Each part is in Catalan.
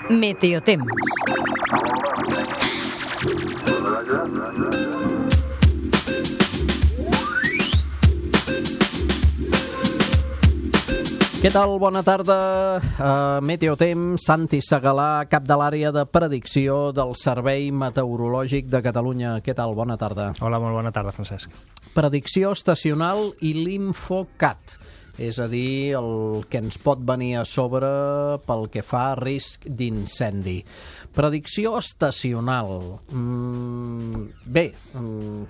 Meteotemps. Què tal? Bona tarda. Meteotemps, Santi Segalà, cap de l'àrea de predicció del Servei Meteorològic de Catalunya. Què tal? Bona tarda. Hola, molt bona tarda, Francesc. Predicció estacional i l'Infocat, és a dir, el que ens pot venir a sobre pel que fa a risc d'incendi. Predicció estacional.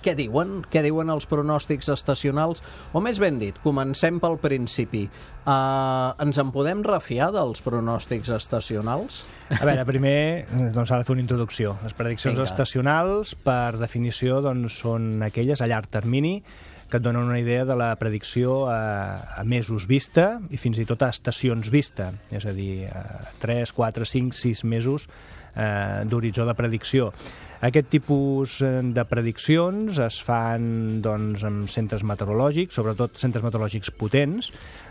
Què diuen? Què diuen els pronòstics estacionals? O més ben dit, comencem pel principi. Ens en podem refiar dels pronòstics estacionals? A veure, primer doncs, s'ha de fer una introducció. Les prediccions estacionals, per definició, doncs, són aquelles a llarg termini que et donen una idea de la predicció a mesos vista i fins i tot a estacions vista, és a dir, 3, 4, 5, 6 mesos d'horitzó de predicció. Aquest tipus de prediccions es fan doncs, en centres meteorològics, sobretot centres meteorològics potents.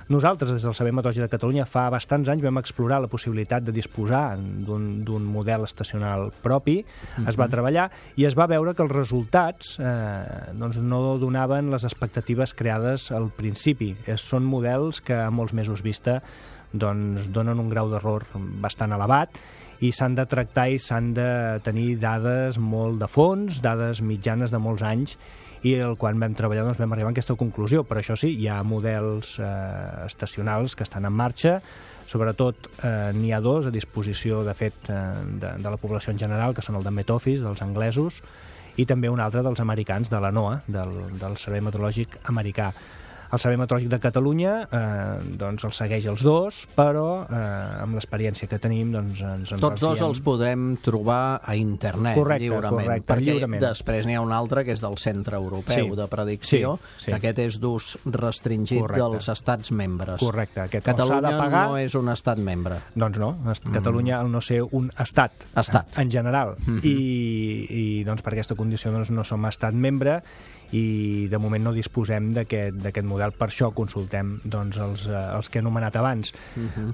Nosaltres, des del Servei Meteorològic de Catalunya, fa bastants anys vam explorar la possibilitat de disposar d'un model estacional propi. Es va treballar i es va veure que els resultats doncs no donaven les expectatives creades al principi. Són models que a molts mesos vista doncs, donen un grau d'error bastant elevat i s'han de tractar i s'han de tenir dades molt de fons, dades mitjanes de molts anys, i quan vam treballar doncs, vam arribar a aquesta conclusió. Per això sí, hi ha models estacionals que estan en marxa, sobretot n'hi ha dos a disposició, de fet, de la població en general, que són el de Met Office, dels anglesos, i també un altre dels americans, de la NOAA, del Servei Meteorològic americà. El Servei Meteorològic de Catalunya doncs els segueix els dos, però amb l'experiència que tenim doncs ens en Tots dos els podem trobar a internet, lliurement. Perquè després n'hi ha un altre que és del Centre Europeu de Predicció, que aquest és d'ús restringit dels estats membres. Correcte. Catalunya no és un estat membre. Doncs no, Catalunya al no ser un estat en general. I doncs per aquesta condició doncs, no som estat membre i de moment no disposem d'aquest model. Per això consultem doncs, els que he anomenat abans.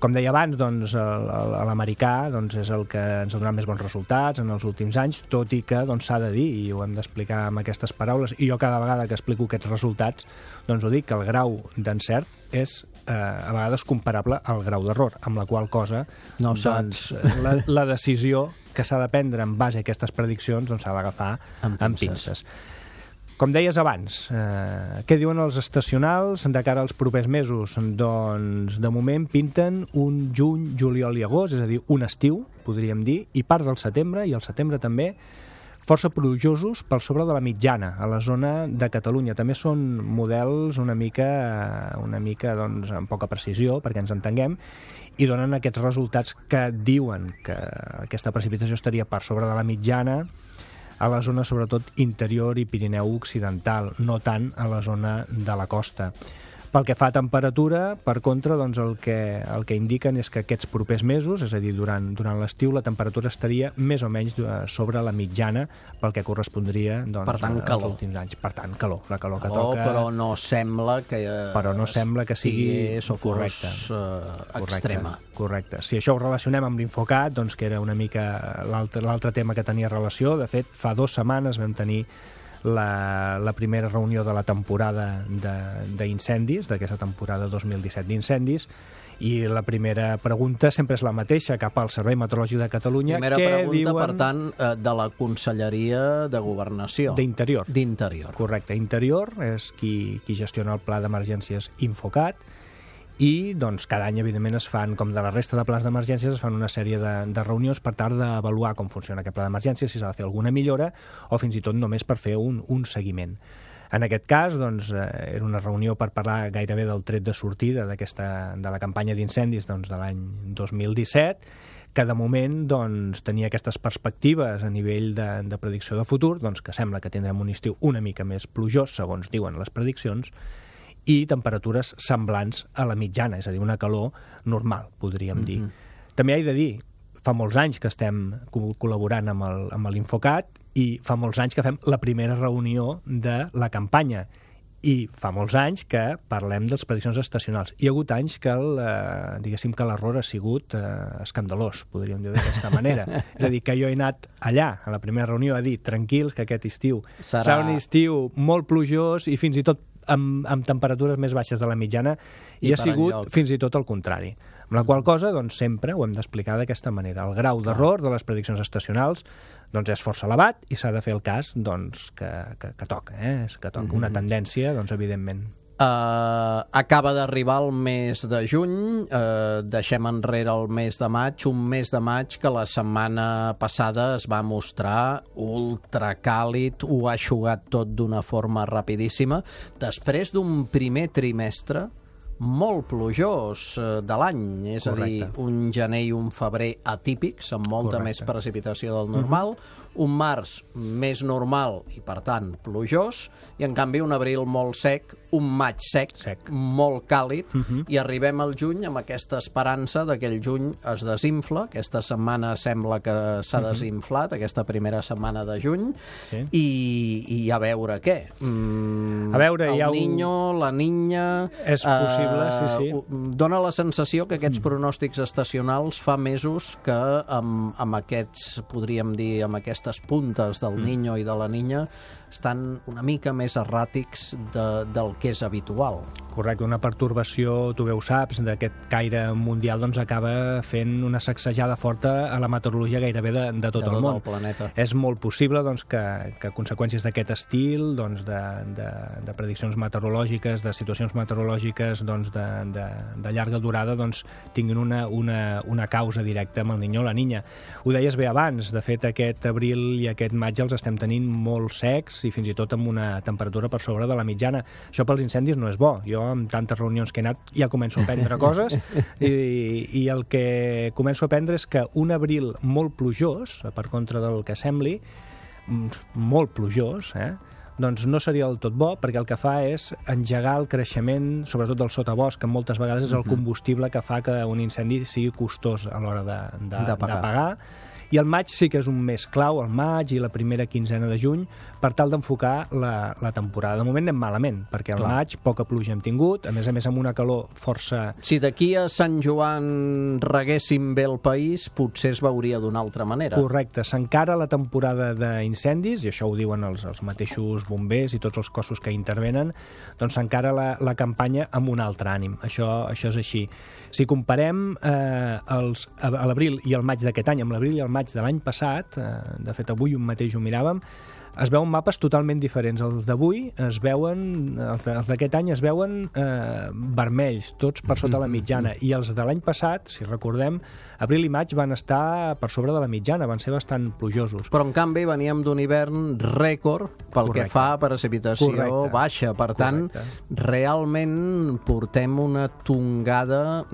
Com deia abans, doncs, l'americà doncs, és el que ens ha donat més bons resultats en els últims anys, tot i que doncs, s'ha de dir, i ho hem d'explicar amb aquestes paraules, i jo cada vegada que explico aquests resultats doncs ho dic, que el grau d'encert és a vegades comparable al grau d'error, amb la qual cosa doncs, la decisió que s'ha de prendre en base a aquestes prediccions doncs, s'ha d'agafar amb pinces. Com deies abans, què diuen els estacionals de cara als propers mesos? Doncs, de moment, pinten un juny, juliol i agost, és a dir, un estiu, podríem dir, i part del setembre, i el setembre també, força plujosos per sobre de la mitjana, a la zona de Catalunya. També són models una mica doncs, amb poca precisió, perquè ens entenguem, i donen aquests resultats que diuen que aquesta precipitació estaria per sobre de la mitjana a la zona, sobretot, interior i Pirineu Occidental, no tant a la zona de la costa. Pel que fa a temperatura, per contra, doncs el que indiquen és que aquests propers mesos, és a dir, durant l'estiu, la temperatura estaria més o menys sobre la mitjana pel que correspondria doncs, als últims anys. Per tant, calor. La calor que toca... Però no sembla que sigui o fos extrema. Correcte. Si això ho relacionem amb l'Infocat, doncs, que era una mica l'altre tema que tenia relació, de fet, fa 2 setmanes vam tenir la primera reunió de la temporada d'incendis, d'aquesta temporada 2017 d'incendis, i la primera pregunta sempre és la mateixa cap al Servei Meteorològic de Catalunya. Primera pregunta, per tant, de la Conselleria de Governació. D'Interior. Correcte. Interior és qui gestiona el Pla d'Emergències Infocat, i doncs, cada any, evidentment, es fan, com de la resta de plans d'emergències, es fan una sèrie de reunions per tal d'avaluar com funciona aquest pla d'emergències, si s'ha de fer alguna millora o fins i tot només per fer un seguiment. En aquest cas, doncs, era una reunió per parlar gairebé del tret de sortida de la campanya d'incendis doncs, de l'any 2017, que de moment doncs, tenia aquestes perspectives a nivell de predicció de futur, doncs, que sembla que tindrem un estiu una mica més plujós, segons diuen les prediccions, i temperatures semblants a la mitjana, és a dir, una calor normal, podríem dir. També he de dir, fa molts anys que estem col·laborant amb l'Infocat i fa molts anys que fem la primera reunió de la campanya I fa molts anys que parlem de les prediccions estacionals. Hi ha hagut anys que diguéssim que l'error ha sigut escandalós, podríem dir d'aquesta manera. És a dir, que jo he anat allà, a la primera reunió, a dir, tranquils, que aquest estiu serà un estiu molt plujós i fins i tot amb temperatures més baixes de la mitjana, i ha sigut fins i tot el contrari. Amb la qual cosa, doncs, sempre ho hem d'explicar d'aquesta manera. El grau d'error de les prediccions estacionals doncs, és força elevat i s'ha de fer el cas doncs, que toca, que toca una tendència, doncs, evidentment. Acaba d'arribar el mes de juny, deixem enrere el mes de maig, un mes de maig que la setmana passada es va mostrar ultracàlid, ho ha eixugat tot d'una forma rapidíssima, després d'un primer trimestre molt plujós de l'any, és a dir, un gener i un febrer atípics, amb molta més precipitació del normal, un març més normal i, per tant, plujós, i, en canvi, un abril molt sec, un maig sec. Molt càlid, i arribem al juny amb aquesta esperança de que el juny es desinfla. Aquesta setmana sembla que s'ha desinflat, aquesta primera setmana de juny, i a veure què. A veure, el Niño, la Niña... És possible, sí. Dóna la sensació que aquests pronòstics estacionals fa mesos que amb aquests, podríem dir, amb aquestes puntes del Niño i de la Niña estan una mica més erràtics del que és habitual. Correcte, una pertorbació, tu bé ho saps, d'aquest caire mundial doncs acaba fent una sacsejada forta a la meteorologia gairebé de tot el món. Planeta. És molt possible doncs, que conseqüències d'aquest estil, doncs, de prediccions meteorològiques, de situacions meteorològiques doncs, de llarga durada, doncs, tinguin una causa directa amb el Niño o la Niña. Ho deies bé abans, de fet aquest abril i aquest maig els estem tenint molt secs i fins i tot amb una temperatura per sobre de la mitjana. Això pels incendis no és bo. Jo, amb tantes reunions que he anat, ja començo a aprendre coses i el que començo a aprendre és que un abril molt plujós, per contra del que sembli, molt plujós, doncs no seria del tot bo, perquè el que fa és engegar el creixement, sobretot del sotabosc, que moltes vegades és el combustible que fa que un incendi sigui costós a l'hora d'apagar. I el maig sí que és un mes clau, el maig i la primera quinzena de juny, per tal d'enfocar la temporada. De moment anem malament, perquè al maig poca pluja hem tingut, a més amb una calor força... Si d'aquí a Sant Joan reguéssim bé el país, potser es veuria d'una altra manera. Correcte, s'encara la temporada d'incendis, i això ho diuen els mateixos bombers i tots els cossos que intervenen, doncs s'encara la campanya amb un altre ànim. Això és així. Si comparem l'abril i el maig d'aquest any amb l'abril i el maig de l'any passat, de fet avui un mateix ho miràvem, es veuen mapes totalment diferents. Els d'avui es veuen, els d'aquest any es veuen vermells, tots per sota la mitjana, i els de l'any passat, si recordem, abril i maig van estar per sobre de la mitjana, van ser bastant plujosos. Però en canvi veníem d'un hivern rècord pel que fa a precipitació baixa, per tant, realment portem una tongada...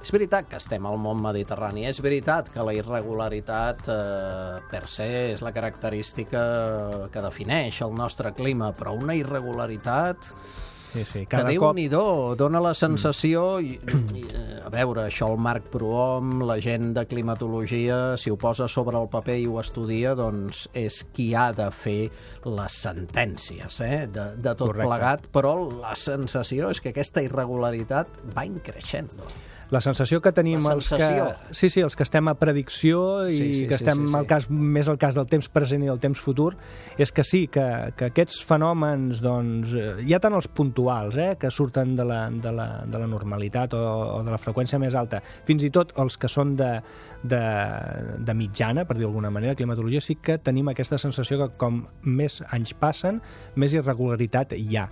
És veritat que estem al món mediterrani, és veritat que la irregularitat per se és la característica que defineix el nostre clima, però una irregularitat que Déu-n'hi-do, dona la sensació... A veure, això el Marc Prohom, la gent de climatologia, si ho posa sobre el paper i ho estudia, doncs és qui ha de fer les sentències de tot plegat, però la sensació és que aquesta irregularitat va increixent. La sensació que tenim els que estem a predicció i que estem més al cas del temps present i del temps futur, és que sí, que aquests fenòmens, doncs, ja tant els puntuals, que surten de la normalitat o de la freqüència més alta, fins i tot els que són de mitjana, per dir d'alguna manera, la climatologia, sí que tenim aquesta sensació que com més anys passen, més irregularitat hi ha.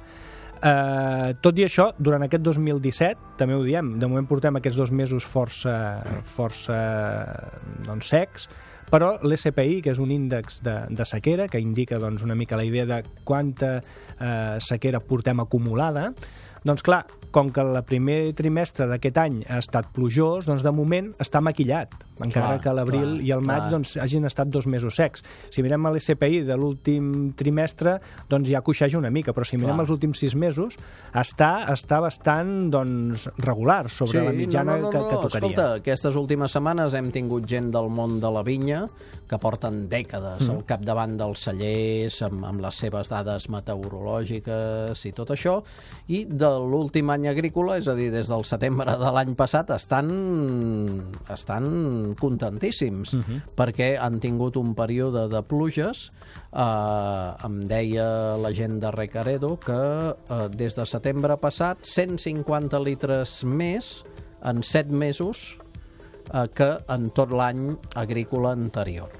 Tot i això, durant aquest 2017, també ho diem, de moment portem aquests 2 mesos força doncs, secs, però l'SPI, que és un índex de sequera, que indica doncs, una mica la idea de quanta sequera portem acumulada, doncs clar, com que el primer trimestre d'aquest any ha estat plujós, doncs de moment està maquillat, encara que l'abril i el maig doncs, hagin estat 2 mesos secs. Si mirem l'SPI de l'últim trimestre, doncs ja coixeja una mica, però si mirem els últims 6 mesos, està bastant doncs, regular sobre la mitjana que tocaria. Escolta, aquestes últimes setmanes hem tingut gent del món de la vinya que porten dècades al capdavant dels cellers amb les seves dades meteorològiques i tot això, i de l'últim any agrícola, és a dir, des del setembre de l'any passat, estan contentíssims, perquè han tingut un període de pluges. Em deia la gent de Recaredo que des de setembre passat 150 litres més en 7 mesos que en tot l'any agrícola anterior.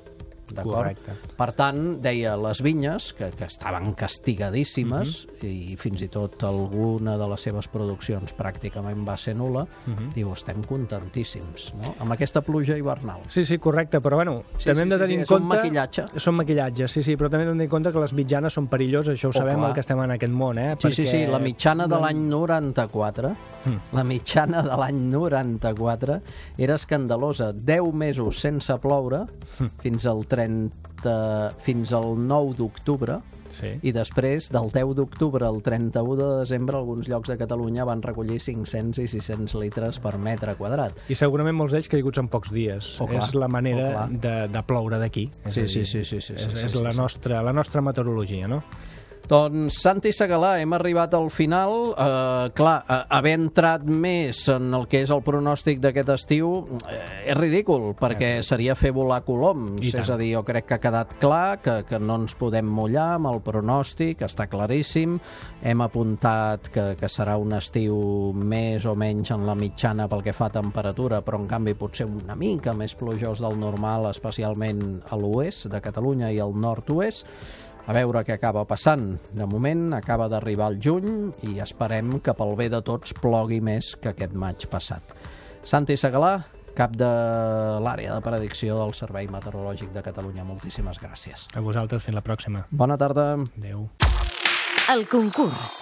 Correcte. Per tant, deia, les vinyes, que estaven castigadíssimes, i fins i tot alguna de les seves produccions pràcticament va ser nul·la, diu, estem contentíssims, no? Amb aquesta pluja hivernal. Sí, correcte, però bueno, també hem de tenir en compte... És un maquillatge. Són maquillatges, sí, però també hem de tenir en compte que les mitjanes són perilloses, això ho sabem, el que estem en aquest món, Sí, la mitjana de l'any 94, la mitjana de l'any 94 era escandalosa, 10 mesos sense ploure, fins al 9 d'octubre, i després del 10 d'octubre al 31 de desembre alguns llocs de Catalunya van recollir 500 i 600 litres per metre quadrat. I segurament molts d'ells caiguts en pocs dies. És la manera de ploure d'aquí. És la nostra meteorologia, no? Doncs, Santi Segalà, hem arribat al final. Haver entrat més en el que és el pronòstic d'aquest estiu és ridícul, perquè seria fer volar coloms. És a dir, jo crec que ha quedat clar que no ens podem mullar amb el pronòstic, està claríssim. Hem apuntat que serà un estiu més o menys en la mitjana pel que fa a temperatura, però en canvi potser una mica més plujós del normal, especialment a l'oest de Catalunya i al nord-oest. A veure què acaba passant. De moment acaba d'arribar el juny i esperem que pel bé de tots plogui més que aquest maig passat. Santi Segalà, cap de l'àrea de predicció del Servei Meteorològic de Catalunya. Moltíssimes gràcies. A vosaltres, fins la pròxima. Bona tarda. Adéu. El concurs.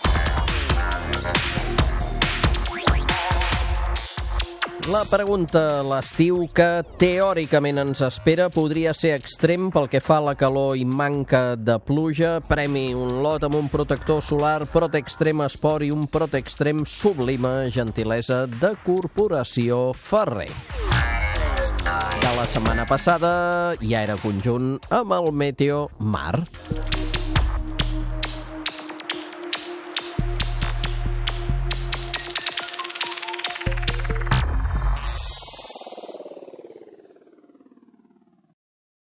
La pregunta, l'estiu que teòricament ens espera podria ser extrem pel que fa a la calor i manca de pluja. Premi un lot amb un protector solar Protextrem Esport i un Protextrem Sublime, gentilesa de Corporació Ferrer. De la setmana passada ja era conjunt amb el Meteo Mar.